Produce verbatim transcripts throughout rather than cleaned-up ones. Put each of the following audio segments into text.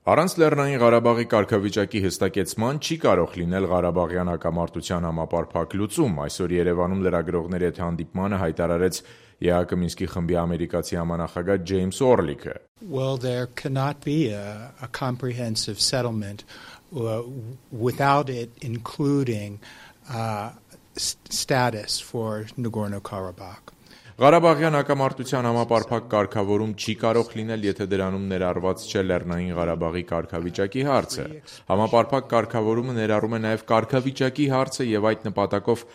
Առանց Լեռնային Ղարաբաղի կարգավիճակի հստակեցման չի կարող լինել Ղարաբաղյան հակամարտության համապարփակ լուծում, այսօր Երևանում լրագրողների հետ հանդիպմանը հայտարարեց ԵԱՀԿ Մինսկի խմբի ամերիկացի համանախագահ Ջեյմս Օրլիքը. Well, there cannot be a, a comprehensive settlement uh, without it including uh, status for Nagorno-Karabakh. Ղարաբաղյան հակամարտության համապարփակ կարգավորում չի կարող լինել, եթե դրանում ներառված չէ Լեռնային Ղարաբաղի կարգավիճակի հարցը։ Համապարփակ կարգավորումը ներառում է նաև կարգավիճակի հարցը եւ այդ նպատակով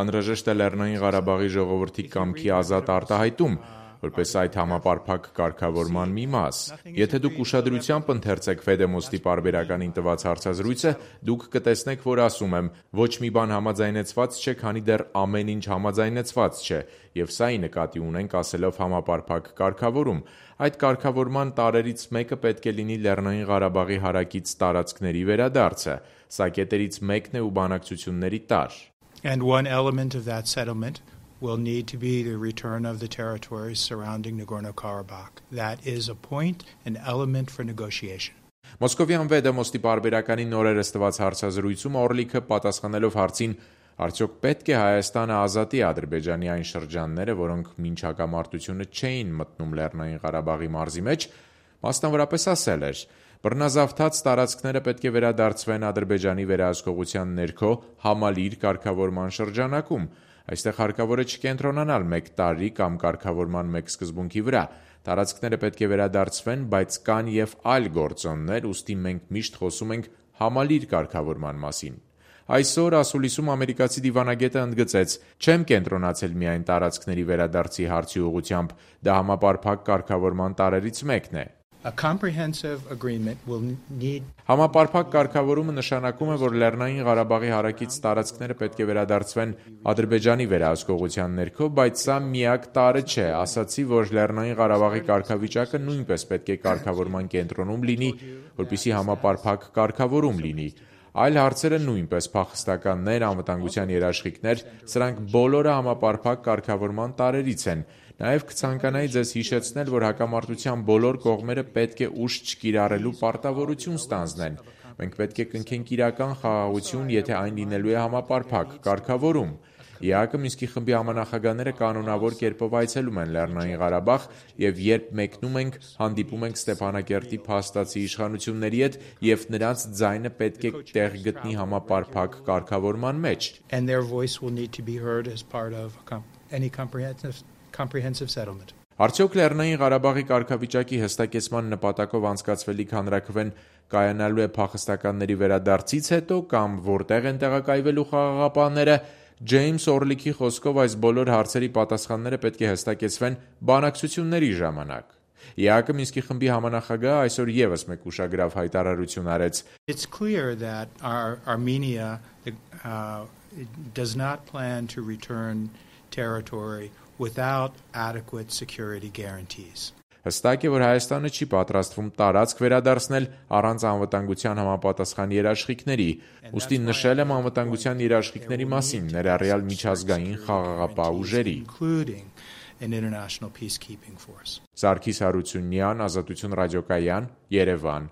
անհրաժեշտ է Լեռնային Ղարաբաղի ժողովրդի կամքի ազատ արտահայտում, որպես այդ համապարփակ կարգավորման մի մաս։ Եթե դուք ուշադրությամբ ընթերցեք Ֆեդեմոստի պարբերականին տված հարցազրույցը, դուք կտեսնեք, որ ասում եմ, ոչ մի բան համաձայնեցված չէ, քանի դեռ ամեն ինչ համաձայնեցված չէ, եւ սա ի նկատի ունենք ասելով համապարփակ կարգավորում։ Այդ կարգավորման տարրերից մեկը պետք է լինի Լեռնային Ղարաբաղի հարակից տարածքների վերադարձը։ Սա կետերից մեկն է ու բանակցությունների տարր։ And one element of that settlement will need to be the return of the territories surrounding Nagorno-Karabakh. That is a point, an element for negotiation. Մոսկովյան Վեդեմոստի պարբերականի նորերս տված հարցազրույցում Օրլիքը պատասխանելով հարցին արդյոք պետք է Հայաստանը ազատի Ադրբեջանի այն շրջանները, որոնք մինչ հակամարտությունը չէին մտնում Լեռնային Ղարաբաղի մարզի մեջ, մասնավորապես ասել էր. բռնազավթած տարածքները պետք է վերադարձվեն Ադրբեջանի վերահսկողության ներքո համալիր կարգավորման շրջանակում։ Այստեղ հարկավոր է չկենտրոնանալ մեկ տարի կամ կարգավորման մեկ սկզբունքի վրա։ Տարածքները պետք է վերադարձվեն, բայց կան եւ այլ գործոններ, ուստի մենք միշտ խոսում ենք համալիր կարգավորման մասին։ Այսօր ասուլիսում ամերիկացի դիվանագետը ընդգծեց. չեմ կենտրոնացել միայն տարածքների վերադարձի հարցի ուղղությամբ, դա համապարփակ կարգավորման տարրերից մեկն է։ A comprehensive agreement will need Համապարփակ կարգավորումը նշանակում է, որ Լեռնային Ղարաբաղի հարակից տարածքները պետք է վերադարձվեն Ադրբեջանի վերահսկողության ներքո, բայց սա միակ տարրը չէ։ Ասացի, որ Լեռնային Ղարաբաղի կարգավիճակը նույնպես պետք է կարգավորման կենտրոնում լինի, որպեսզի համապարփակ կարգավորում լինի։ Այլ հարցերը նույնպես փախստականներ, անվտանգության երաշխիքներ, սրանք բոլորը համապարփակ կարգավորման տարրերից են։ Նաև կցանկանայի ձեզ հիշեցնել, որ հակամարտության բոլոր կողմերը պետք է ուժ չկիրառելու պարտավորություն ստանձնեն։ Մենք պետք է կնքենք իրական խաղաղություն, եթե այն լինելու է համապարփակ կարգավորում։ ԵԱՀԿ Մինսկի խմբի համանախագահները կանոնավոր կերպով այցելում են Լեռնային Ղարաբաղ եւ երբ մեկնում ենք, հանդիպում ենք Ստեփանակերտի փաստացի իշխանությունների հետ եւ նրանց ձայնը պետք է տեղ գտնի համապարփակ կարգավորման մեջ։ and their voice will need to be heard as part of any comprehensive comprehensive settlement. Արդյոք Լեռնային Ղարաբաղի կարգավիճակի հստակեցման նպատակով անցկացվելիք հանրաքվեն կայանալու է փախստականների վերադարձից հետո կամ որտեղ են տեղակայվելու խաղաղապահները, Ջեյմս Օրլիքի խոսքով այս բոլոր հարցերի պատասխանները պետք է հստակեցվեն բանակցությունների ժամանակ։ ԵԱՀԿ Մինսկի խմբի համանախագահը այսօր եւս մեկ ուշագրավ հայտարարություն արեց. It's clear that our Armenia uh, does not plan to return territory without adequate security guarantees. Հստակ է, որ Հայաստանը չի պատրաստվում տարածք վերադարձնել առանց անվտանգության համապատասխան երաշխիքների։ Ուստի նշել եմ անվտանգության երաշխիքների մասին, ներառյալ միջազգային խաղաղապահ ուժերի։ Սարգիս Հարությունյան, Ազատություն ռադիոկայան, Երևան։